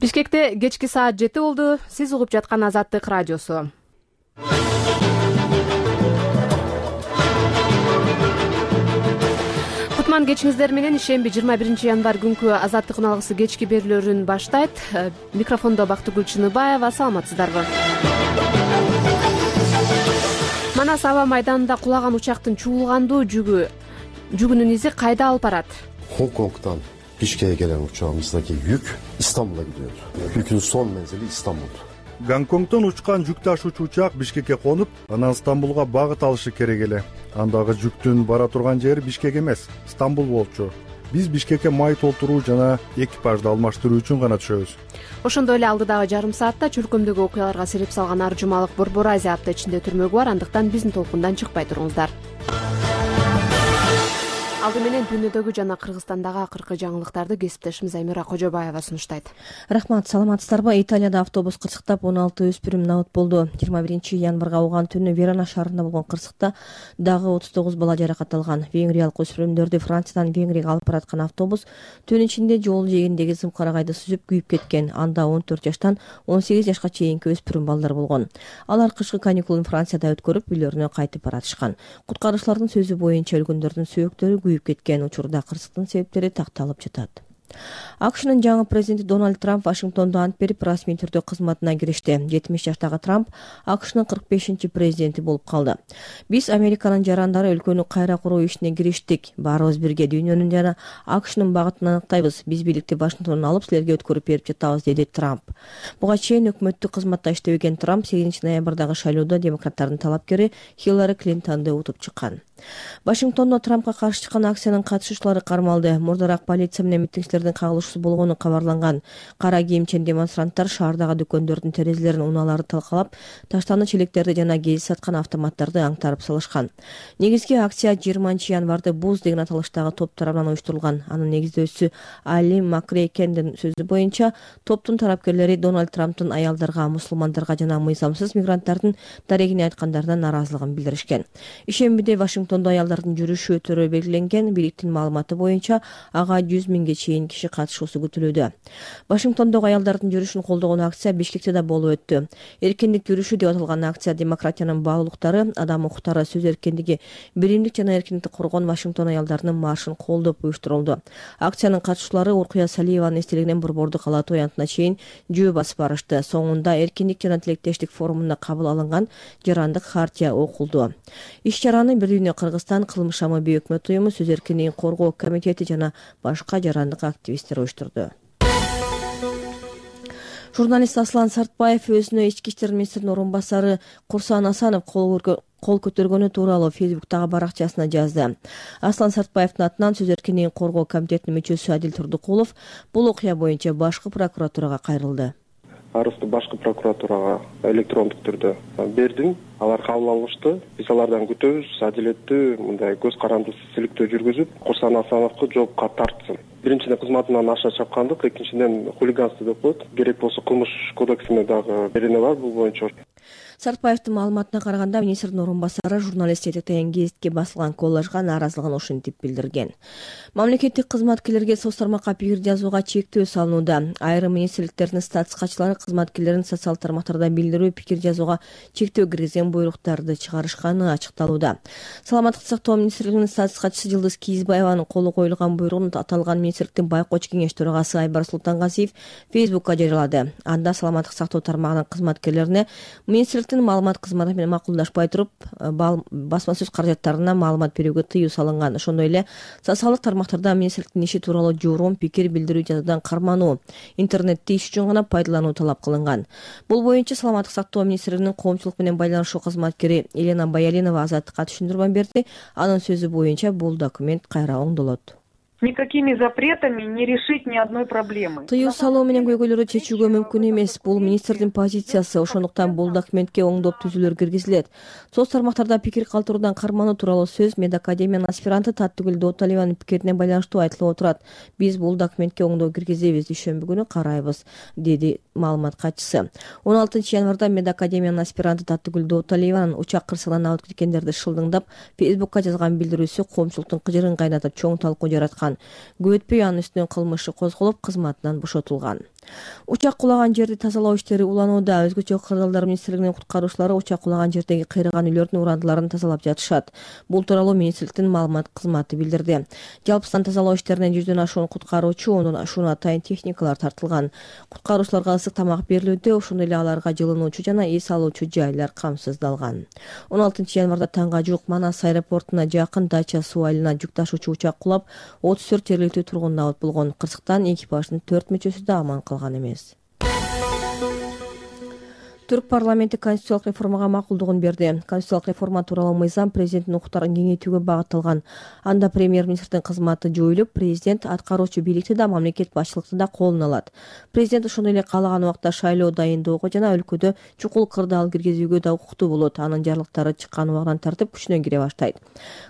Бишкекте кечки саат 7 болду. Сиз угуп жаткан Азаттык радиосу. Кутман кечиңиздер менен ишемби 21 январь күнкү Азаттык уналгысы кечки берүүлөрүн баштайт. Микрофондо Бактыгүл Чыныбаева. Саламатсыздарбы? Манас аба майданында кулаган учактын чуулгандуу жүгүнүн изи кайда алып барат? Гонконгтан Бишкекке келен учагыбыздагы жүк Истамбулга gidiyor. Yükün son menzili İstanbul. Гонконгтон учкан жүк ташуучу учак Бишкекке конуп, анан Стамбулга багыт алышы керек эле. Андагы жүктүн бара турган жери Бишкек эмес, Стамбул болчу. Биз Бишкекке май толтуруу жана экипажды алмаштыруу үчүн гана түшөбүз. Ошондой эле алдыдагы жарым саатта чөлкөмдөгү окуяларга себеп салган ар жумалык Борбор Азия апта ичинде түрмөгү бар, андыктан биздин толкундан чыкпай туруңуздар. Алды менен дүйнөдөгү жана Кыргызстандагы акыркы жаңылыктарды кесиптешimiz Аймира Кожобаева сунуштайт. Рахмат, саламатсыздарбы? Италияда автобус кырсыктап 16 өспүрүм набыт болду. 21 январга ауган түнү Верона шаарында болгон кырсыкта дагы 39 бала жаракат алган. Венгриялык өспүрүмдөрдү Франциядан Венгрияга алып бараткан автобус түн ичинде жол жээгиндеги зымкарагайды сүзүп күйүп кеткен. Анда 14 жаштан 18 жашка чейинки өспүрүм балдар болгон. Алар кышкы каникулун Францияда өткөрүп, үйлөрүнө кайтып баратышкан. Куткаруучулардын сөзү боюнча өлгөндөрдүн сөөктөрү күйүп кеткен. Учурда кырсыктын себептери такталып жатат. АКШнын жаңы президенти Дональд Трамп Вашингтондо ант берип, расмий түрдө кызматына киришти. 70 жаштагы Трамп АКШнын 45-чи президенти болуп калды. Биз Американын жарандары өлкөнү кайра куруу ишине кириштик. Баарыбыз бирге дүйнөнүн жана АКШнын багытын аныктайбыз. Биз бийликти Вашингтондон алып силерге өткөрүп берип жатабыз, деди Трамп. Буга чейин өкмөттүк кызматта иштебеген Трамп 8 ноябрдагы шайлоодо демократтардын талапкери Хиллари Клинтонду утуп чыккан. Вашингтондо Трампка каршы чыккан акциянын катышуучулары кармалды. Мурдараак полиция менен митингчилердин кагылышуусу болгону кабарланган. Кара кийимчен демонстранттар шаардагы дүкөндөрдүн терезелерин унаалары талкалап, таштанды челектерди жана гез саткан автоматтарды аңтарып салышкан. Негизги акция 20 январды Буз деген аталыштагы топ тарабынан уюштурулган. Анын негиздөөчүсү Али Макрейкендин сөзү боюнча, топтун тарапкерлери Дональд Трамптын аялдарга, мусулмандарга жана мыйзамсыз мигранттардын дарегине айткандарына нааразылыгын билдиришкен. Ишембиде Вашингтондо аялдардын жүрүшү өтөрү белгиленген. Бийликтин маалыматы боюнча ага 100 миңге чейин киши катышуусу күтүлүүдө. Вашингтондогу аялдардын жүрүшүн колдогон акция Бишкекте да болуп өттү. Эркиндик жүрүшү деп аталган акция демократиянын баалуулуктары, адам укуктары, сөз эркиндиги, биримдик жана эркиндикти коргоон Вашингтон аялдарынын маршын колдоп уюштурулду. Акциянын катышуучулары Уркуя Салиеванын эстелигинен Борборду калаатуу аянтына чейин жөө басып барышты. Соңунда эркиндик жана тилектештик форумунда кабыл алынган жарандык хартия окулду. Иш-чараны Бир дүйнө Кыргызстан, Кылмыш шамы бейөкмөт уюму, сөз эркиндигин коргоо комитети жана башка жарандык активисттер уюштурду. Журналист Аслан Сартбаев өзүнө ички иштер министринин орун басары Курсан Асанов кол көтөргөнү тууралуу Фейсбуктагы баракчасына жазды. Аслан Сартбаевдин атынан сөз эркиндигин коргоо комитетинин мүчөсү Адил Турдукулов бул окуя боюнча башкы прокуратурага кайрылды. Арызды башкы прокуратурага электрондук түрдө бердим. Алар кабыл алышты. Биз алардан күтөбүз, адилеттүү, мындай көз карандысыз иликтөө жүргүзүп, Курсан Асановду жоопко тартсын. Биринчиден кызматынан аша чапкандык, экинчиден хулиганство деп коет. Керек болсо кылмыш кодексине дагы берене бар бул боюнча. Сартбаевдин маалыматына караганда, министрдин орун басары журналист жетектеген гезитке басылган коллажга нааразылыгын ушинтип билдирген. Мамлекеттик кызматкерлерге соц тармакка пикир жазууга чектөө салынууда. Айрым министрликтердин статистикачылары кызматкерлерин социал тармактарда билдирүү, пикир жазууга чектөө киргизген буйруктарды чыгарышканы ачыкталууда. Саламаттыкты сактоо министрлигинин статистикачысы Жылдыз Кийизбаеванын колу коюлган буйругун аталган министрликтин байкоочу кеңеш төрагасы Айбар Султангазиев Фейсбукка жарыялады. Анда саламаттык сактоо тармагынын кызматкерлерине министрликтин маалымат кызматы менен макулдашпай туруп, басма сөз каражаттарына маалымат берүүгө тыюу салынган. Ошондой эле социалдык тармактарда министрликтин иши тууралуу журум, пикир билдирүү жазуудан кармануу, интернетти иш үчүн гана пайдалануу талап кылынган. Бул боюнча саламаттык сактоо министрлигинин коомчулук менен байланышуу кызматкери Елена Баялинова Азаттыкка түшүндүрмө берди. Анын сөзү боюнча бул документ кайра оңдолот. Никакими запретами не решить ни одной проблемы. Тыюу салуу менен көйгөйлөрдү чечүүгө мүмкүн эмес. Бул министрдин позициясы. Ошондуктан бул документке оңдоп түзүүлөр киргизилет. Соц тармактарда пикир калтыруудан кармануу тууралуу сөз Медакадемиянын аспиранты Таттыгүл Дооталиеванын пикирине байланыштуу айтылып отурат. Биз бул документке оңдоо киргизебиз, дүйшөмбү күнү карайбыз, деди маалымат катчысы. 16 январда Медакадемиянын аспиранты Таттыгүл Дооталиеванын учак кырсыгынан алып кеткендерди шылдыңдап Фейсбукка жазган билдирүүсү коомчулуктун кыжырын кайнатып чоң талкуу жараткан. Көп өтпөй анын үстүнөн кылмыш иши козголуп, кызматынан бошотулган. Учак кулаган жерди тазалоо иштери уланууда. Өзгөчө кырдаалдар министрлигинин куткаруучулары учак кулаган жердеги кыйраган үйлөрдүн урандыларын тазалап жатышат. Бул тууралуу министрликтин маалымат кызматы билдирди. Жалпысынан тазалоо иштерине 100дөн ашуун куткаруучу, ондон ашуун атайын техникалар тартылган. Куткаруучуларга ысык тамак берилүүдө, ошондой эле аларга жылынуучу жана эс алуучу жайлар камсыздалган. 16 январда таңга жуук Манас аэропортуна жакын Дача суу айылына жүк ташуучу учак кулап, 34 жергиликтүү тургун абат болгон. Кырсыктан экипаждын 4 мүчөсү да аман калган эмес. Түрк парламенти конституциялык реформага макулдугун берди. Конституциялык реформа тууралуу мыйзам президенттин укуктарын кеңейтүүгө багытталган. Анда премьер-министрдин кызматы жоюлуп, президент аткаруучу бийликти да, мамлекет башчылыкты да колуна алат. Президент ошондой эле каалаган убакта шайлоо дайындоого жана өлкөдө чукул кырдаал киргизүүгө да укуктуу болот. Анын жарлыктары чыккан убагынан тартып күчүнө кире баштайт.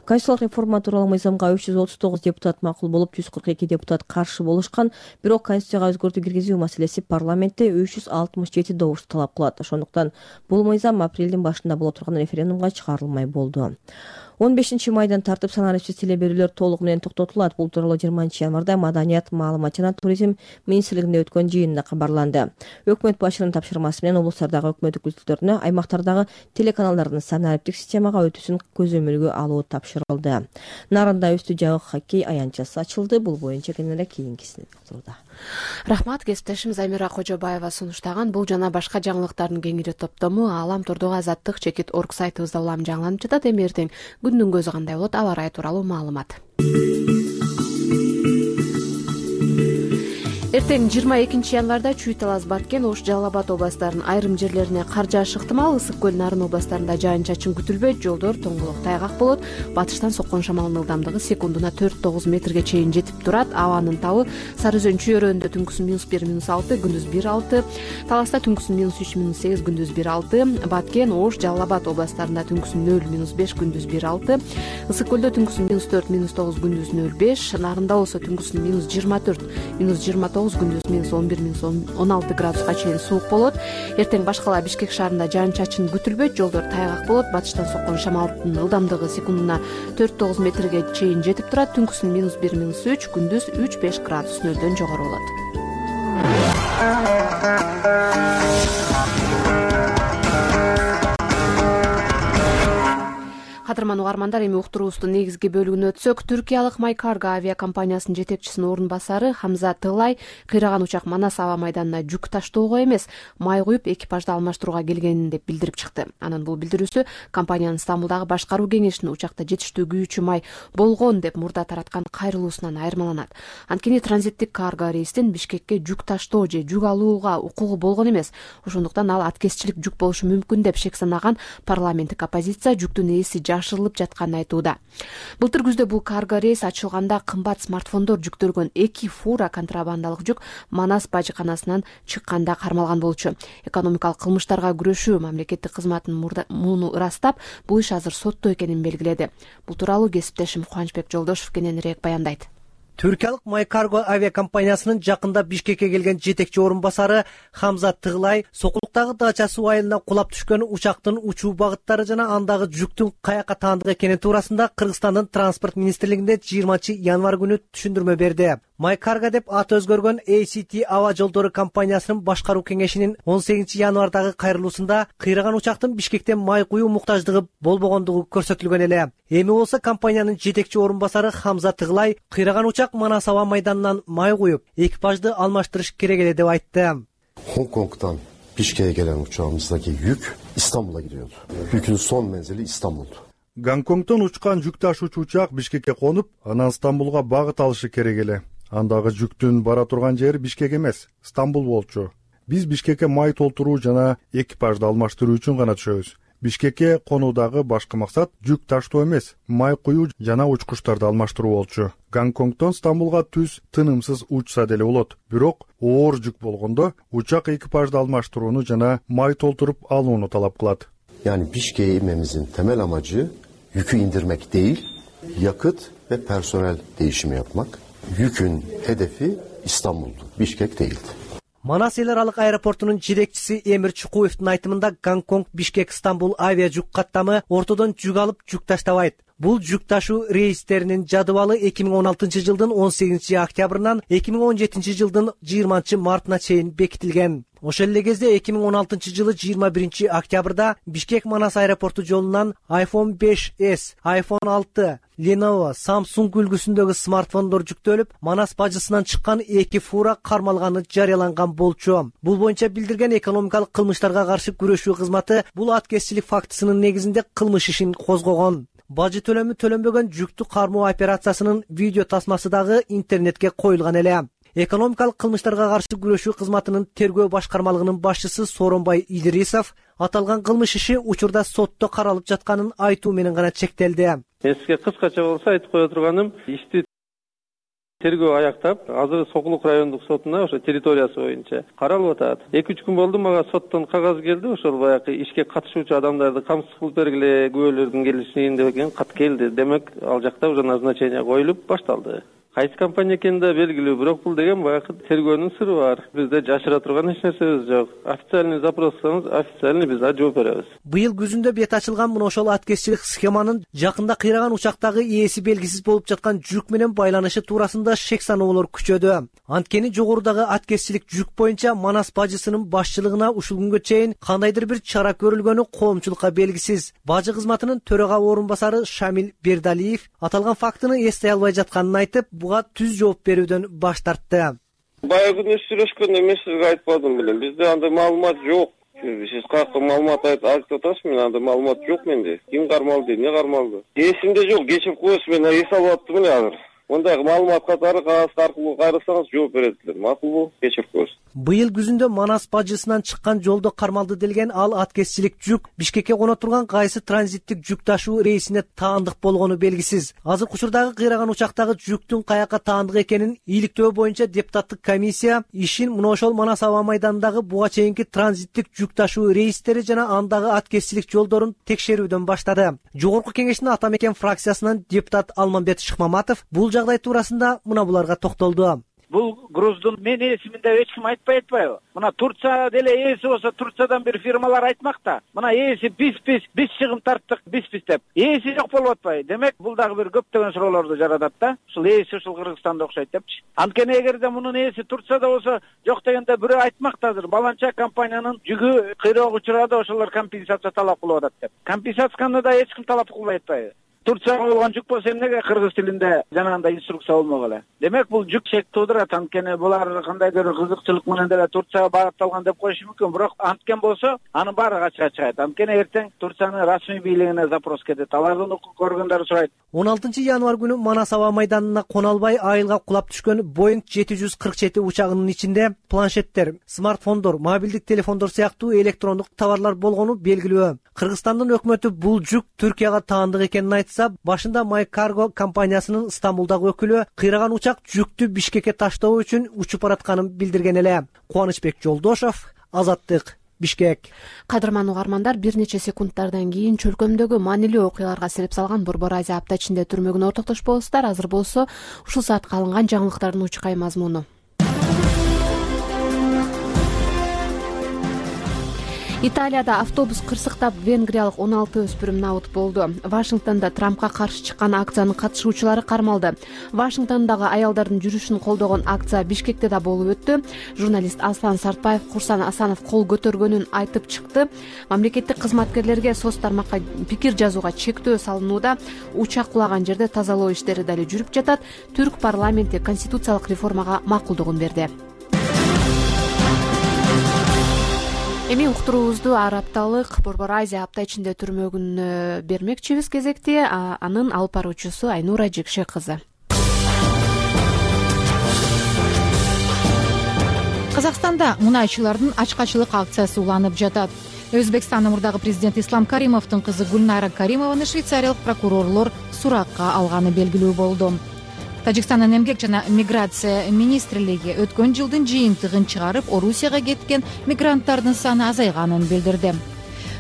Конституциялык реформа тууралуу мыйзамга 339 депутат макул болуп, 142 депутат каршы болушкан. Бирок конституцияга өзгөртүү киргизүү маселеси парламентте 367 добушту талап кылат. Ошондуктан бул мыйзам апрелдин башында боло турган референдумга чыгарылмай болду. 15 майдан тартып санариптик теле берүүлөр толугу менен токтотулат. Бул тууралуу 20 январда Маданият, маалымат жана туризм министрлигинде өткөн жыйында кабарланды. Өкмөт башчынын тапшырмасы менен облустардагы өкмөт өкүлдөрүнө аймактардагы телеканалдардын санариптик системага өтүүсүн көзөмөлгө алуу тапшырылды. Нарында үстү жабык хоккей аянтчасы ачылды. Бул боюнча кененирээк кийинкисин турда. Рахмат, кесиптешим Замира Кожобаева сунуштаган бул жана башка жаңылыктардын кеңири топтому Алам Турдук Азаттык чекит орг сайтыбызда улам жаңыланып жатат. Эми эртең күндүн көзү кандай болот, аба ырайы тууралуу маалымат. Эртең 22 январда Чүй Талас, Баткен, Ош, Жалал Абад областарынын айрым жерлерине кар жаашы ыктымал. Ысык көл, Нарын областарында жаан-чачын күтүлбөйт. Жолдор тоңголок тайгак болот. Батыштан соккон шамалдын ылдамдыгы секундуна 4-9 метрге чейин жетип турат. Абанын табы Сары Өзөн чөйрөөнүндө түнкүсүн -1, -6, күндүз 1-6. Таласта түнкүсүн -3, -8, күндүз 1-6. Баткен, Ош, Жалал Абад областарында түнкүсүн 0, -5, күндүз 1-6. Ысык көлдө түнкүсүн -4, -9, күндүз 0,5. Нарында болсо түнкүсүн -24, -29, күндүз -11, -16 градуска чейин суук болот. Эртең башкала Бишкек шаарында жаан-чачын күтүлбөйт. Жолдор тайгак болот. Батыштан соккон шамалдын ылдамдыгы секундуна 4-9 метрге чейин жетип турат. Түнкүсүн -1, -3, күндүз 3-5 градус нөлдөн жогору болот. Кадырман угармандар, эми уктуруубуздун негизги бөлүгүнө өтсөк, түркиялык MyCargo авиакомпаниясынын жетекчисинин орун басары Хамза Тыглай кыйраган учак Манас аба майданына жүк таштоого эмес, май куюп экипажды алмаштырууга келгенин деп билдирип чыкты. Анын бул билдирүүсү компаниянын Стамбулдагы башкаруу кеңешинин учакта жетиштүү күйүүчү май болгон деп мурда тараткан кайрылуусунан айырмаланат. Анткени транзиттик карго рейстен Бишкекке жүк таштоо же жүк алууга укугу болгон эмес. Ошондуктан ал аткезчилик жүк болушу мүмкүн деп шек санаган парламенттик оппозиция жүктүн ээси жашырылып жатканын айтууда. Былтыр күздө бул карго рейс ачылганда кымбат смартфондор жүктөлгөн 2 фура контрабандалык жүк Манас бажыканасынан чыкканда кармалган болчу. Экономикалык кылмыштарга күрөшүү мамлекеттик кызматынын муну ырастап, бул иш азыр сотто экенин белгиледи. Бул тууралуу кесиптешим Кубанычбек Жолдошов кененирээк баяндайт. Түркиялык MyCargo авиакомпаниясынын жакында Бишкекке келген жетекчи орун басары Хамза Тыглай Сокулуктагы Дача суу айылына кулап түшкөн учактын учуу багыттары жана андагы жүктүн каяка таандык экени туурасында Кыргызстандын транспорт министрлигинде 20 январ күнү түшүндүрмө берди. MyCargo деп аты өзгөргөн ACT аба жолдору компаниясынын башкаруу кеңешинин 18 январдагы кайрылуусунда кыйраган учактын Бишкектен май куюу муктаждыгы болбогондугу көрсөтүлгөн эле. Эми болсо компаниянын жетекчи орун басары Хамза Тыглай кыйраган учак Манас аба майданынан май куюп, экипажды алмаштырыш керек эле деп айтты. Hong-Kong'dan Bişkek'e gelen uçağımızdaki yük İstanbul'a gidiyordu. Yükün son menzili İstanbul'du. Гонконгдон учкан жүк ташуучу учак Бишкекке конуп, анан Стамбулга багыт алышы керек эле. Андагы жүктүн бара турган жери Бишкек эмес, Стамбул болчу. Биз Бишкекке май толтуруу жана экипажды алмаштыруу үчүн гана түшөбүз. Бишкекке конуудагы башкы максат жүк таштоо эмес, май куюу жана учкучтарды алмаштыруу болчу. Гонконгдон Стамбулга түз тынымсыз учса деле болот. Бирок оор жүк болгондо учак экипажды алмаштырууну жана май толтуруп алууну талап кылат. Yani Bişkek'e inmemizin temel amacı yükü indirmek değil, yakıt ve personel değişimi yapmak. Yükün hedefi İstanbul'du, Bişkek değildi. Манас эл аралык аэропортунун жетекчиси Эмир Чукуевдин айтымында Гонконг, Бишкек, Стамбул авиа жүк каттамы ортодон жүк алып жүк таштабайт. Бул жүк ташуу рейстеринин жадыбалы 2016 жылдын 18 октябрынан 2017 жылдын 20 мартына чейин бекитилген. Ошол эле кезде 2016 жылы 21 октябрда Бишкек Манас аэропорту жолунан iPhone 5s, iPhone 6, Lenovo, Samsung үлгүсүндөгү смартфондор жүктөлүп, Манас бажысынан чыккан 2 фура кармалганы жарыяланган болчу. Бул боюнча билдирген экономикалык кылмыштарга каршы күрөшүү кызматы бул аткезчилик фактысынын негизинде кылмыш ишин козгогон. Бажы төлөмү төлөнбөгөн жүктү кармоо операциясынын видео тасмасы дагы интернетке коюлган эле. Экономикалык кылмыштарга каршы күрөшүү кызматынын тергөө башкармалыгынын башчысы Сооронбай Идрисов аталган кылмыш иши учурда сотто каралып жатканын айтуу менен гана чектелди. Мен сизге кыскача болсо айтып кое турганым, ишти тергөө аяктап, азыр Сокулук райондук сотуна ошо территориясы боюнча каралып атат. 2-3 күн болду, мага соттон кагаз келди, ошол баягы ишке катышуучу адамдарды камсыз кылып бергиле, күбөлөрдүн келишин деген кат келди. Демек, ал жакта уже назначение коюлуп башталды. Кайсы компания экени да белгилүү, бирок бул деген баягы тергөөнүн сыры бар. Бизде жашыра турган эч нерсебиз жок. Официальный запрос кылсаңыз, официальный биз жооп беребиз. Быйыл күзүндө бет ачылган мына ошол аткезчилик схеманын жакында кыйраган учактагы ээси белгисиз болуп жаткан жүк менен байланышы туурасында шек саноолор күчөдү. Анткени жогорудагы аткезчилик жүк боюнча Манас бажысынын башчылыгына ушул күнгө чейин кандайдыр бир чара көрүлгөнү коомчулукка белгисиз. Бажы кызматынын төрага орун басары Шамил Бердалиев аталган фактыны эстей албай жатканын айтып, буга түз жооп берүүдөн баш тартты. Баягы күнү сүйлөшкөндө мен сизге айтпадым белем. Бизде андай маалымат жок. Сиз каяка маалымат айтып атасыз, мен андай маалымат жок менде. Ким кармалды, эмне кармалды? Эсимде жок, кечип коесуз, мен эс алып аттым эле азыр. Мындай маалымат катары кагаз аркылуу кайрылсаңыз жооп беретилер. Макулбу? Кечип коесуз. Быйыл күзүндө Манас бажысынан чыккан жолдо кармалды делген ал аткезчилик жүк Бишкекке коно турган кайсы транзиттик жүк ташуу рейсине таандык болгону белгисиз. Азыр учурдагы кыйраган учактагы жүктүн каяка таандык экенин иликтөө боюнча депутаттык комиссия ишин мына ошол Манас аба майданындагы буга чейинки транзиттик жүк ташуу рейстери жана андагы аткезчилик жолдорун текшерүүдөн баштады. Жогорку кеңештин ата мекен фракциясынан депутат Алмамбет Шыкмаматов бул жагдай туурасында мына буларга токтолду. Бул груздун мен эсимин деп эч ким айтпай атпайбы? Мына Турция деле ээси болсо, Турциядан бир фирмалар айтмакта. Мына ээси биз чыгым тарттык, биз деп. Ээси жок болуп атпайбы? Демек, бул дагы бир көптөгөн суроолорду жаратат да. Ушул ээси ушул Кыргызстанда окшойт депчи. Анткени эгерде мунун ээси Турцияда болсо, жок дегенде бирөө айтмакта азыр баланча компаниянын жүгү кыйроого учурады, ошолор компенсация талап кылып атат деп. Компенсацияны да эч ким талап кылбай атпайбы? Турцияга болгон жүк болсо эмнеге кыргыз тилинде жанагындай инструкция болмок эле? Демек, бул жүк шек туудурат. Анткени булар кандайдыр кызыкчылык менен деле Турцияга багытталган деп коюшу мүмкүн, бирок анткен болсо, анын баары ачык чыгат. Анткени эртең Турциянын расмий бийлигине запрос кетет. Алардын укук көргөндөр сурайт. 16 январь күнү Манас аба майданына кона албай айылга кулап түшкөн Boeing 747 учагынын ичинде планшеттер, смартфондор, мобилдик телефондор сыяктуу электрондук товарлар болгону белгилүү. Кыргызстандын өкмөтү бул жүк Түркияга таандык экенин айтса, башында MyCargo компаниясынын Стамбулдагы өкүлү кыйраган учак жүктү Бишкекке таштоо үчүн учуп баратканын билдирген эле. Кубанычбек Жолдошов, Азаттык, Бишкек. Кадырман угармандар, бир нече секундтардан кийин чөлкөмдөгү маанилүү окуяларга себеп салган Борбор Азия апта ичинде түрмөгүнө ортоктошпосуздар. Азыр болсо ушул саатка алынган жаңылыктардын учкай мазмуну. Италияда автобус кырсыктап венгриялык 16 өспүрүм набыт болду. Вашингтонда Трампка каршы чыккан акциянын катышуучулары кармалды. Вашингтондогу аялдардын жүрүшүн колдогон акция Бишкекте да болуп өттү. Журналист Аслан Сартбаев Курсан Асанов кол көтөргөнүн айтып чыкты. Мамлекеттик кызматкерлерге соц тармакка пикир жазууга чектөө салынууда. Учак кулаган жерде тазалоо иштери дали жүрүп жатат. Түрк парламенти конституциялык реформага макулдугун берди. Эми уктуруубузду ар апталык Борбор Азия апта ичинде түрмөгүнө бермекчибиз кезекти. Анын алып баруучусу Айнура Жекше кызы. Казакстанда мунайчылардын ачкачылык акциясы уланып жатат. Өзбекстандын мурдагы президенти Ислам Каримовдун кызы Гүлнайра Каримованы швейцариялык прокурорлор суракка алганы белгилүү болду. Тажикстандын эмгек жана миграция министрлиги өткөн жылдын жыйынтыгын чыгарып, Орусияга кеткен мигранттардын саны азайганын билдирди.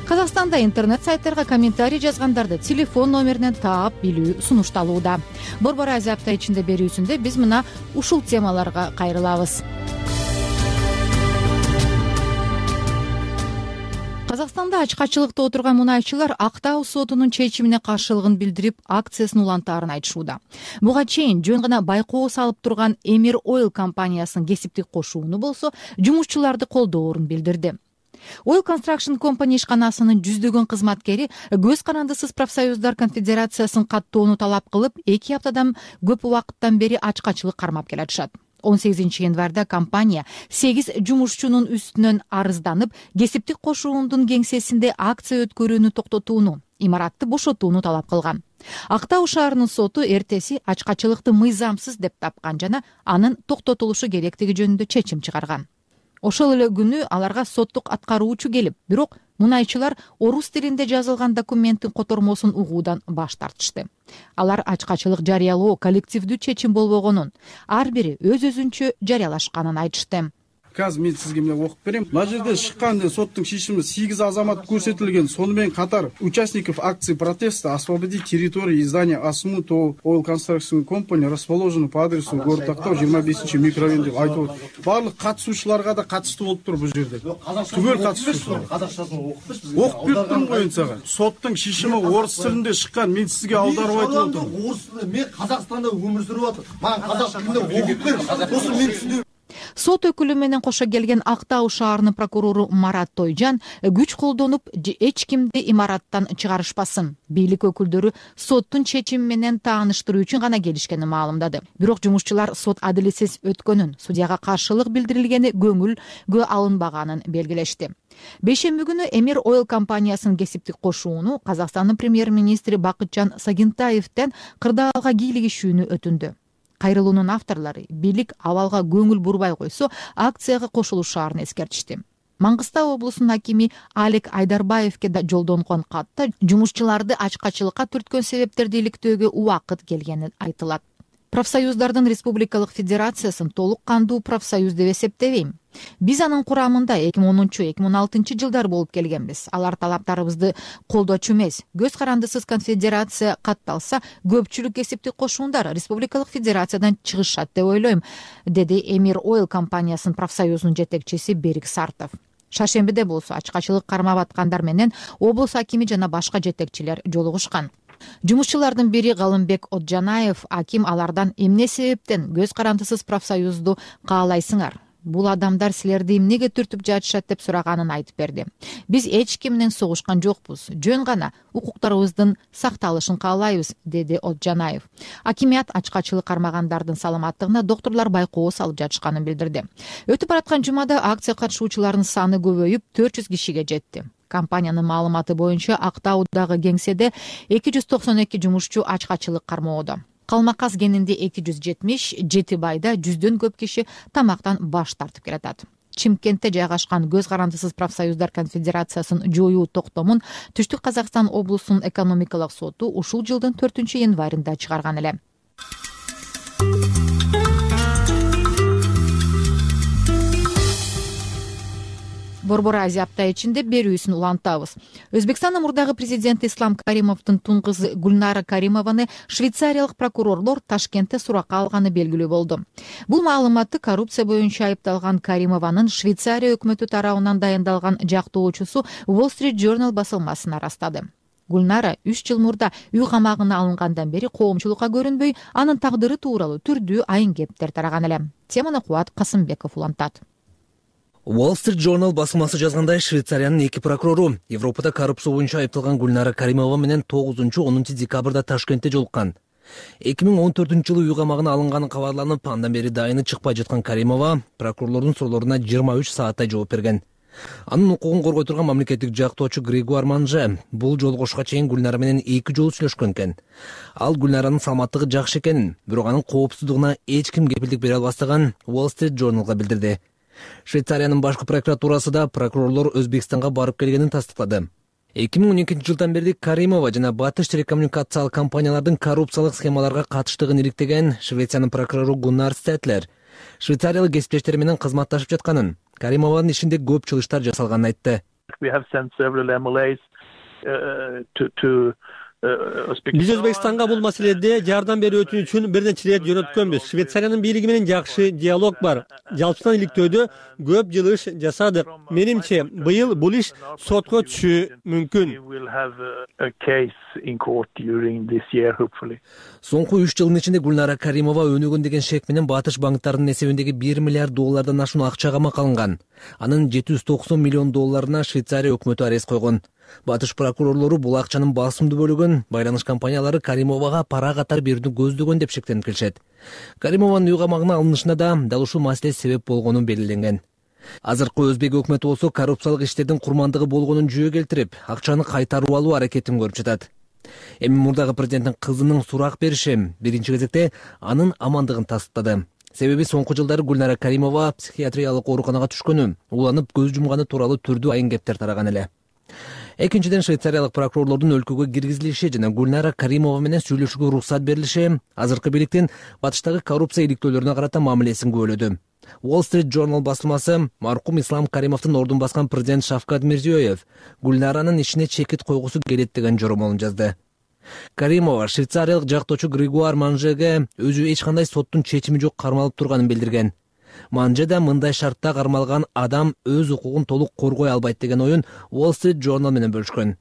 Казакстанда интернет сайттарга комментарий жазгандарды телефон номеринен таап билүү сунушталууда. Борбор Азия апта ичинде берүүсүндө биз мына ушул темаларга кайрылабыз. Казакстанда ачкачылыкта отурган мунайчылар Актау сотунун чечимине каршылыгын билдирип, акциясын улантаарын айтышууда. Буга чейин жөн гана байкоо салып турган Эмир Ойл компаниясынын кесиптик кошууну болсо, жумушчуларды колдоорун билдирди. Oil Construction Company ишканасынын жүздөгөн кызматкери көз карандысыз профсоюздар конфедерациясын каттоону талап кылып, 2 аптадан көп убакыттан бери ачкачылык кармап келатышат. 18 январда компания 8 жумушчунун үстүнөн арызданып, кесиптик кошуундун кеңсесинде акция өткөрүүнү токтотууну, имаратты бошотууну талап кылган. Актау шаарынын соту эртеси ачкачылыкты мыйзамсыз деп тапкан жана анын токтотулушу керектиги жөнүндө чечим чыгарган. Ошол эле күнү аларга соттук аткаруучу келип, бирок мунайчылар орус тилинде жазылган документтин котормосун угуудан баш тартышты. Алар ачкачылык жарыялоо коллективдүү чечим болбогонун, ар бири өз-өзүнчө жарыялашканын айтышты. Казыр мен сизге мына окуп берем. Мына жерде шыккан соттун шешими 8 азамат көрсөтүлгөн. Сону менен катар участников акции протеста освободить территорию здания Асмут Oil Construction Company расположено по адресу город Актау 25 микрорайон деп айтып атат. Барлык катышуучуларга да катыштуу болуп тур бул жерде. Түгөл катышуучулар. Окуп берип турмун коюн сага. Соттун шешими орус тилинде шыккан. Мен сизге аударып айтып атам. Орус тилинде мен Казакстанда өмүр сүрүп атам. Мага казак тилинде окуп бер. Сосын мен түшүндүм. Сот өкүлү менен кошо келген Актау шаарынын прокурору Марат Тойжан күч колдонуп, эч кимди имараттан чыгарышпасын. Бийлик өкүлдөрү соттун чечими менен тааныштыруу үчүн гана келишкенин маалымдады. Бирок жумушчулар сот адилетсиз өткөнүн, судьяга каршылык билдирилгени көңүлгө алынбаганын белгилешти. Бейшемби күнү Эмир Ойл компаниясынын кесиптик кошууну Казакстандын премьер-министри Бакытжан Сагынтаевден кырдаалга кийлигишүүнү өтүндү. Кайрылуунун авторлору бийлик абалга көңүл бурбай койсо, акцияга кошулушаарын эскертишти. Маңгыстау облусунун акими Алек Айдарбаевке да жолдонгон катта жумушчуларды ачкачылыкка түрткөн себептерди иликтөөгө убакыт келгени айтылат. Профсоюздардын республикалык федерациясын толук кандуу профсоюз деп эсептебейм. Биз анын курамында 2010-2016 жылдар болуп келгенбиз. Алар талаптарыбызды колдочу эмес. Көз карандысыз конфедерация катталса, көпчүлүк кесиптик кошуундар республикалык федерациядан чыгышат деп ойлойм, деди Эмир Ойл компаниясынын профсоюзунун жетекчиси Берик Сартов. Шаршембиде болсо ачкачылык кармап аткандар менен облус акими жана башка жетекчилер жолугушкан. Жумушчулардын бири Галымбек Отжанаев аким алардан эмне себептен көз карандысыз профсоюзду каалайсыңар? Бул адамдар силерди эмнеге түртүп жатышат деп сураганын айтып берди. Биз эч ким менен согушкан жокпуз. Жөн гана укуктарыбыздын сакталышын каалайбыз, деди Отжанаев. Акимият ачкачылык кармагандардын саламаттыгына докторлор байкоо салып жатышканын билдирди. Өтүп бараткан жумада акция катышуучуларынын саны көбөйүп 400 кишиге жетти. Компаниянын маалыматы боюнча Актаудагы кеңседе 292 жумушчу ачкачылык кармоодо. Калмакас кенинде 270, Жети Байда 100дөн көп киши тамактан баш тартып келатат. Чимкентте жайгашкан көз карандысыз профсоюздар конфедерациясын жоюу токтомун Түштүк Казакстан облусунун экономикалык соту ушул жылдын 4-январында чыгарган эле. Борбор Азия апта ичинде берүүсүн улантабыз. Өзбекстандын мурдагы президенти Ислам Каримовдун тун кызы Гульнара Каримованы швейцариялык прокурорлор Ташкентте суракка алганы белгилүү болду. Бул маалыматты коррупция боюнча айыпталган Каримованын Швейцария өкмөтү тарабынан дайындалган жактоочусу Wall Street Journal басылмасына растады. Гульнара 3 жыл мурда үй камагына алынгандан бери коомчулукка көрүнбөй, анын тагдыры тууралуу түрдүү айын кептер тараган эле. Теманы Кубат Касымбеков улантат. Wall Street Journal басылмасы жазгандай, Швейцариянын 2 прокурору Европада коррупция боюнча айыпталган Гульнара Каримова менен 9-10 декабрда Ташкентте жолуккан. 2014-жылы үй камагына алынганы кабарланып, андан бери дайыны чыкпай жаткан Каримова прокурорлордун суроолоруна 23 сааттай жооп берген. Анын укугун коргой турган мамлекеттик жактоочу Грегуар Манже бул жолугушка чейин Гульнара менен 2 жолу сүйлөшкөн экен. Ал Гульнаранын саламаттыгы жакшы экенин, бирок анын коопсуздугуна эч ким кепилдик бере албастыгын Wall Street Journalга билдирди. Швейцариянын башкы прокуратурасы да прокурорлор Өзбекстанга барып келгенин тастыктады. 2012 жылдан бери Каримова жана Батыш телекоммуникациялык компаниялардын коррупциялык схемаларга катыштыгын иликтеген Швециянын прокурору Гуннар Стетлер швейцариялык кесиптештери менен кызматташып жатканын, Каримованын ишинде көп чылыштар жасалганын айтты. Биз Өзбекстанга бул маселеде жардам берүү үчүн бир нече ирет жөнөткөнбүз. Швейцариянын бийлиги менен жакшы диалог бар. Жалпысынан иликтөөдө көп жыл иш жасадык. Менимче, быйыл бул иш сотко түшүшү мүмкүн. Соңку 3 жылдын ичинде Гүлнара Каримова өнүгөн деген шек менен Батыш банктарынын эсебиндеги $1 миллиард ашуун акча камак алынган. Анын $790 миллион Швейцария өкмөтү арест койгон. Батыш прокурорлору бул акчанын басымдуу бөлүгүн байланыш компаниялары Каримовага пара катары берүүнү көздөгөн деп шектенип келишет. Каримованын үй камагына алынышына да дал ушул маселе себеп болгону белгиленген. Азыркы Өзбек өкмөтү болсо коррупциялык иштердин курмандыгы болгонун жүйө келтирип, акчаны кайтарып алуу аракетин көрүп жатат. Эми мурдагы президенттин кызынын сурак бериши биринчи кезекте анын амандыгын тастыктады. Себеби соңку жылдары Гүлнара Каримова психиатриялык ооруканага түшкөнү, уланып көз жумганы тууралуу түрдүү айын кептер тараган эле. Экинчиден, швейцариялык прокурорлордун өлкөгө киргизилиши жана Гүлнара Каримова менен сүйлөшүүгө уруксат берилиши азыркы бийликтин Батыштагы коррупция иликтөөлөрүнө карата мамилесин күбөлөдү. Wall Street Journal басылмасы маркум Ислам Каримовдун ордун баскан президент Шавкат Мирзиёев Гүлнаранын ишине чекит койгусу келет деген жоромолун жазды. Каримова швейцариялык жактоочу Григуар Манжеге өзү эч кандай соттун чечими жок кармалып турганын билдирген. Манже да мындай шартта кармалган адам өз укугун толук коргой албайт деген оюн Wall Street Journal менен бөлүшкөн.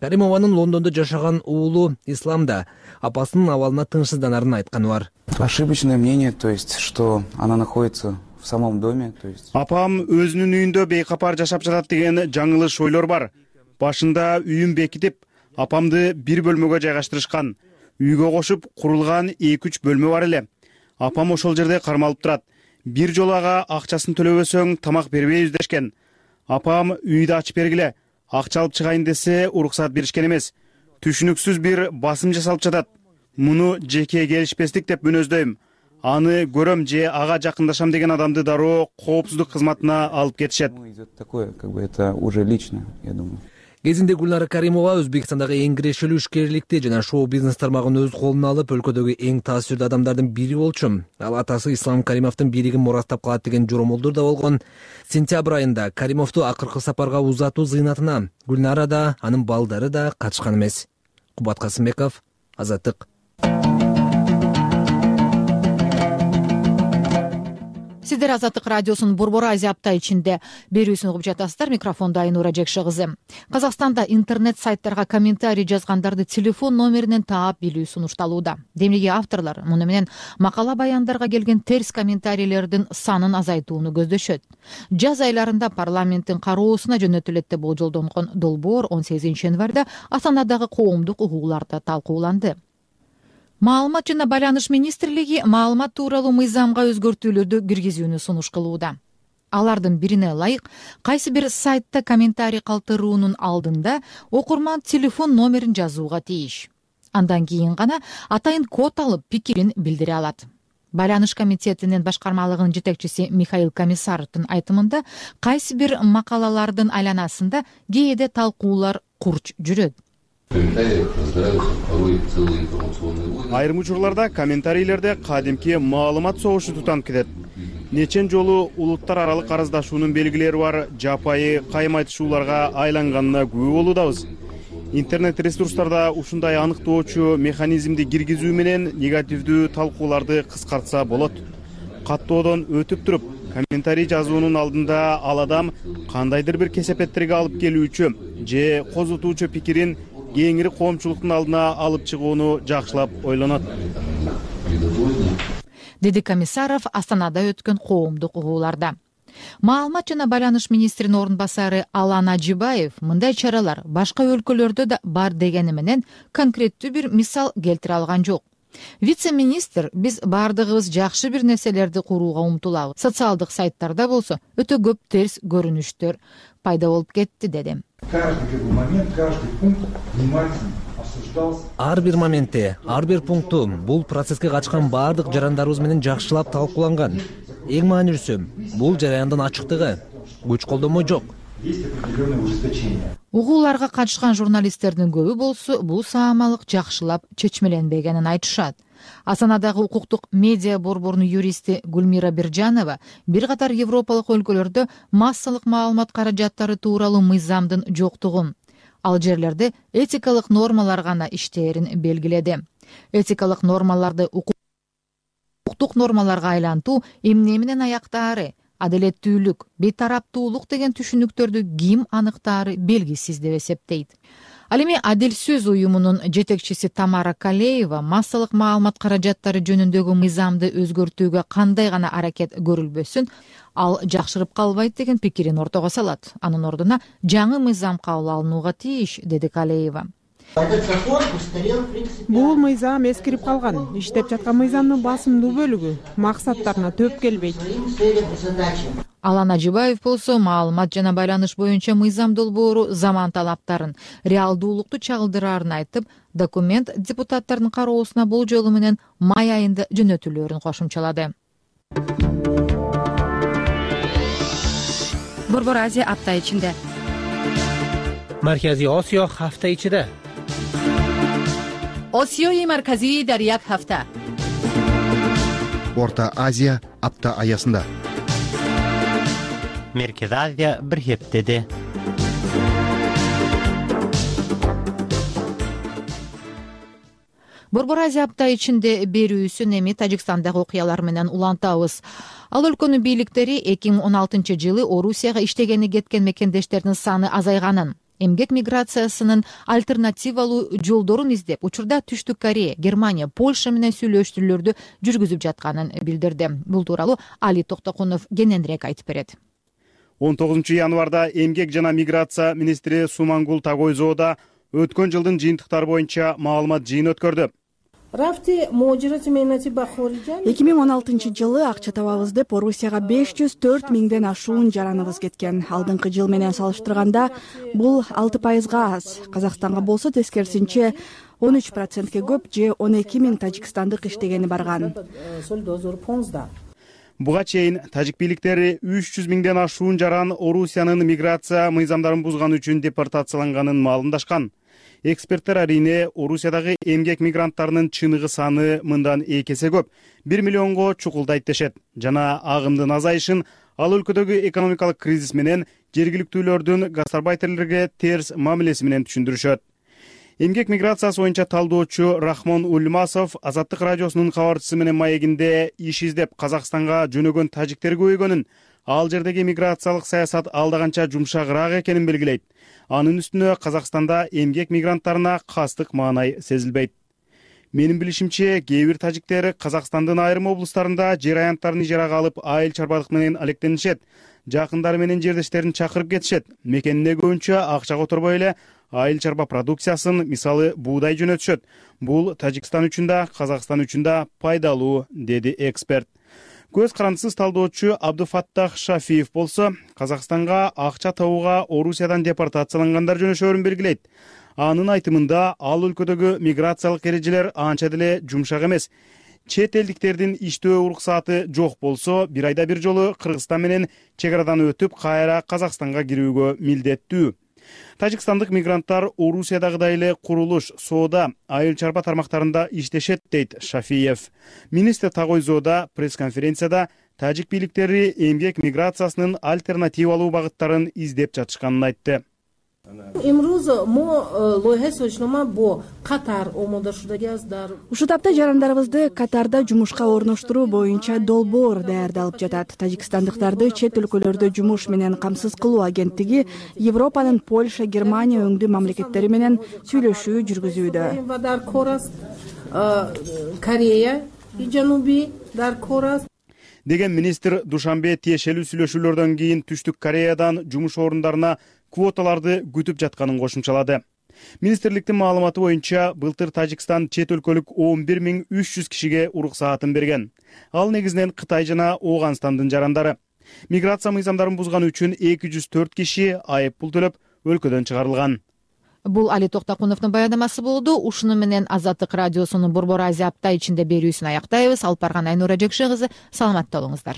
Каримованын Лондондо жашаган уулу Ислам да апасынын абалына тынчсызданарын айтканы бар. Ошибочное мнение, то есть, что она находится в самом доме, то есть. Апам өзүнүн үйүндө бейкапар жашап жатат деген жаңылыш ойлор бар. Башында үйүн бекитип, апамды бир бөлмөгө жайгаштырышкан. Үйгө кошуп курулган 2-3 бөлмө бар эле. Апам ошол жерде кармалып турат. Бир жолу ага акчасын төлөбөсөң тамак бербейбиз дешкен. Апам үйдү ачып бергиле, акча алып чыгайын десе уруксат беришкен эмес. Түшүнүксүз бир басым жасалып жатат. Муну жеке келишпестик деп мүнөздөйм. Аны көрөм же ага жакындашам деген адамды дароо коопсуздук кызматына алып кетишет. Такое, как бы это уже лично, я думаю. Кезинде Гүлнара Каримова Өзбекстандагы эң кирешелүү ишкерликти жана шоу-бизнес тармагын өз колуна алып, өлкөдөгү эң таасирдүү адамдардын бири болчу. Ал атасы Ислам Каримовдун бийлигин мурастап калат деген жоромолдор да болгон. Сентябрь айында Каримовду акыркы сапарга узатуу зыйнатына Гүлнара да, анын балдары да катышкан эмес. Кубат Касымбеков, Азаттык. Сиздер Азаттык радиосунун Борбор Азия апта ичинде берүүсүн угуп жатасыздар. Микрофондо Айнура Жекши кызы. Казакстанда интернет сайттарга комментарий жазгандарды телефон номеринен таап билүү сунушталууда. Демеги авторлор муну менен макала баяндарга келген терс комментарийлердин санын азайтууну көздөшөт. Жаз айларында парламенттин кароосуна жөнөтүлөт деп болжолдонгон долбоор 18 январда Астанадагы коомдук угууларда талкууланды. Маалымат жана байланыш министрлиги маалымат тууралуу мыйзамга өзгөртүүлөрдү киргизүүнү сунуш кылууда. Алардын бирине ылайык, кайсы бир сайтта комментарий калтыруунун алдында окурман телефон номерин жазууга тийиш. Андан кийин гана атайын код алып пикирин билдире алат. Байланыш комитетинин башкармалыгынын жетекчиси Михаил Комиссаровдун айтымында кайсы бир макалалардын айланасында кээде талкуулар курч жүрөт. Айрым учурларда комментарийлерде кадимки маалымат согушу тутанып кетет. Нечен жолу улуттар аралык арыздашуунун белгилери бар жапайы кайым айтышууларга айланганына күбө болуудабыз. Интернет ресурстарда ушундай аныктоочу механизмди киргизүү менен негативдүү талкууларды кыскартса болот. Каттоодон өтүп туруп, комментарий жазуунун алдында ал адам кандайдыр бир кесепеттерге алып келүүчү же козутуучу пикирин кеңири коомчулуктун алдына алып чыгууну жакшылап ойлонот, деди Комиссаров Астанада өткөн коомдук угууларда. Маалымат жана байланыш министринин орун басары Алан Ажибаев мындай чаралар башка өлкөлөрдө да бар дегени менен конкреттүү бир мисал келтире алган жок. Вице-министр биз бардыгыбыз жакшы бир нерселерди курууга умтулабыз. Социалдык сайттарда болсо өтө көп терс көрүнүштөр пайда болуп кетти деди. Ар бир моментте, ар бир пункту бул процесске катышкан бардык жарандарыбыз менен жакшылап талкууланган. Эң маанилүүсү бул жараяндын ачыктыгы, күч колдонмо жок. Угууларга катышкан журналисттердин көбү болсо бул саамалык жакшылап чечмеленбегенин айтышат. Астанадагы укуктук медиа борборунун юристи Гүлмира Биржанова бир катар европалык өлкөлөрдө массалык маалымат каражаттары тууралуу мыйзамдын жоктугун, ал жерлерде этикалык нормалар гана иштээрин белгиледи. Этикалык нормаларды укуктук нормаларга айлантуу эмне менен аяктаары, адилеттүүлүк, бейтараптуулук деген түшүнүктөрдү ким аныктаары белгисиз деп эсептейт. Ал эми Адил сөз уюмунун жетекчиси Тамара Калеева массалык маалымат каражаттары жөнүндөгү мыйзамды өзгөртүүгө кандай гана аракет көрүлбөсүн, ал жакшырып калбайт деген пикирин ортого салат. Анын ордуна жаңы мыйзам кабыл алынууга тийиш, деди Калеева. Бул мыйзам эскирип калган. Иштеп жаткан мыйзамдын басымдуу бөлүгү максаттарына төп келбейт. Алан Ажибаев болсо маалымат жана байланыш боюнча мыйзам долбоору заман талаптарын, реалдуулукту чагылдыраарын айтып, документ депутаттардын кароосуна болжолу менен май айында жөнөтүлөөрүн кошумчалады. Борбор Азия апта ичинде. Марказий Осиё ҳафта ичида. Осиёи марказӣ дар як ҳафта. Орта Азия апта аясында. Merkezi Азия bir heftede. Борбор Азия апта ичинде берүүсүн эми Тажикстандагы окуялар менен улантабыз. Ал өлкөнүн бийликтери 2016 жылы Орусияга иштегени кеткен мекендештердин саны азайганын, эмгек миграциясынын альтернативалуу жолдорун издеп, учурда Түштүк Корея, Германия, Польша менен сүйлөштүрүүлөрдү жүргүзүп жатканын билдирди. Бул тууралуу Али Токтокунов кененирээк айтып берет. 19 январда эмгек жана миграция министри Сумангул Тагойзоода өткөн жылдын жыйынтыктары боюнча маалымат жыйын өткөрдү. 2016 жылы акча табабыз деп Орусияга 504 миңден ашуун жараныбыз кеткен. Алдыңкы жыл менен салыштырганда бул 6%га аз. Казакстанга болсо тескерисинче 13%ке көп, же 12 миң тажикстандык иштегени барган. Буга чейин тажик бийликтери 300 миңден ашуун жаран Орусиянын миграция мыйзамдарын бузган үчүн депортацияланганын маалымдашкан. Эксперттер арине Орусиядагы эмгек мигранттарынын чыныгы саны мындан 2 эсе көп, 1 миллионго чукулдайт дешет. Жана агымдын азайышын ал өлкөдөгү экономикалык кризис менен жергиликтүүлөрдүн гастарбайтерлерге терс мамилеси менен түшүндүрүшөт. Эмгек миграциясы боюнча талдоочу Рахмон Ульмасов Азаттык радиосунун кабарчысы менен маегинде иш издеп Казакстанга жөнөгөн тажиктер көбөйгөнүн, ал жердеги миграциялык саясат алдаганча жумшагыраак экенин белгилейт. Анын үстүнө Казакстанда эмгек мигранттарына кастык маанай сезилбейт. Менин билишимче, кээ бир тажиктер Казакстандын айрым облустарында жер аянттарын ижарага алып айыл чарбалык менен алектенишет. Жакындары менен жердештерин чакырып кетишет. Мекенине көбүнчө акча которбой эле айыл чарба продукциясын, мисалы буудай жөнөтүшөт. Бул Тажикстан үчүн да, Казакстан үчүн да пайдалуу, деди эксперт. Көз карандысыз талдоочу Абдуфаттах Шафиев болсо, Казакстанга акча табууга Орусиядан депортациялангандар жөнөшөөрүн белгилейт. Анын айтымында ал өлкөдөгү миграциялык эрежелер анча деле жумшак эмес. Чет элдиктердин иштөө уруксааты жок болсо, бир айда бир жолу Кыргызстан менен чек арадан өтүп, кайра Казакстанга кирүүгө милдеттүү. Тажикстандык мигранттар Орусиядагыдай эле курулуш, соода, айыл чарба тармактарында иштешет, дейт Шафиев. Министр Тагойзоода пресс-конференцияда тажик бийликтери эмгек миграциясынын альтернативалуу багыттарын издеп жатышканын айтты. Ушу тапта жарандарыбызды Катарда жумушка орноштуруу боюнча долбоор даярдалып жатат. Тажикстандыктарды чет өлкөлөрдө жумуш менен камсыз кылуу агенттиги Европанын Польша, Германия өңдүү мамлекеттери менен сүйлөшүү жүргүзүүдө. Корея и Жанубий дар Корас деген министр Душанбе тиешелүү сүйлөшүүлөрдөн кийин Түштүк Кореядан жумуш орундарына квоталарды күтүп жатканын кошумчалады. Министрликтин маалыматы боюнча былтыр Тажикстан чет өлкөлүк 11.300 кишиге уруксаатын берген. Ал негизинен Кытай жана Ооганстандын жарандары. Миграция мыйзамдарын бузган үчүн 204 киши айып пул төлөп өлкөдөн чыгарылган. Бул Али Токтокуновдун баяндамасы болду. Ушуну менен Азаттык радиосунун Борбор Азия апта ичинде берүүсүн аяктайбыз. Алып барган Айнура Жекше кызы, саламатта болуңуздар.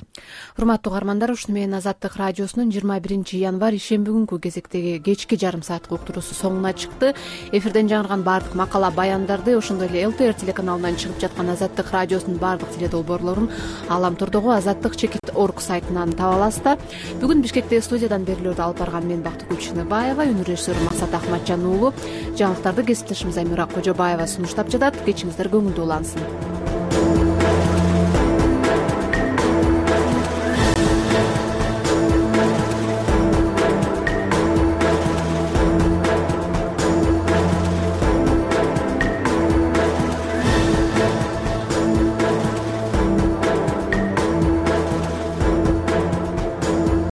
Урматтуу угармандар, ушуну менен Азаттык радиосунун 21 январь ишемби күнкү кезектеги кечки жарым сааттык уктуруусу соңуна чыкты. Эфирден жаңырган бардык макала баяндарды, ошондой эле ЛТР телеканалынан чыгып жаткан Азаттык радиосунун бардык теледолбоорлорун Ааламтордогу azattik.org сайтынан таба аласыздар. Бүгүн Бишкектеги студиядан берүүлөрдү алып барган мен Бактыгүл Чыныбаева, өнөр режиссеру Максат Ахматжан уулу. Жаңылыктарды кесиптешим Замира Кожобаева сунуштап жатат. Кечиңиздер көңүлдүү улансын.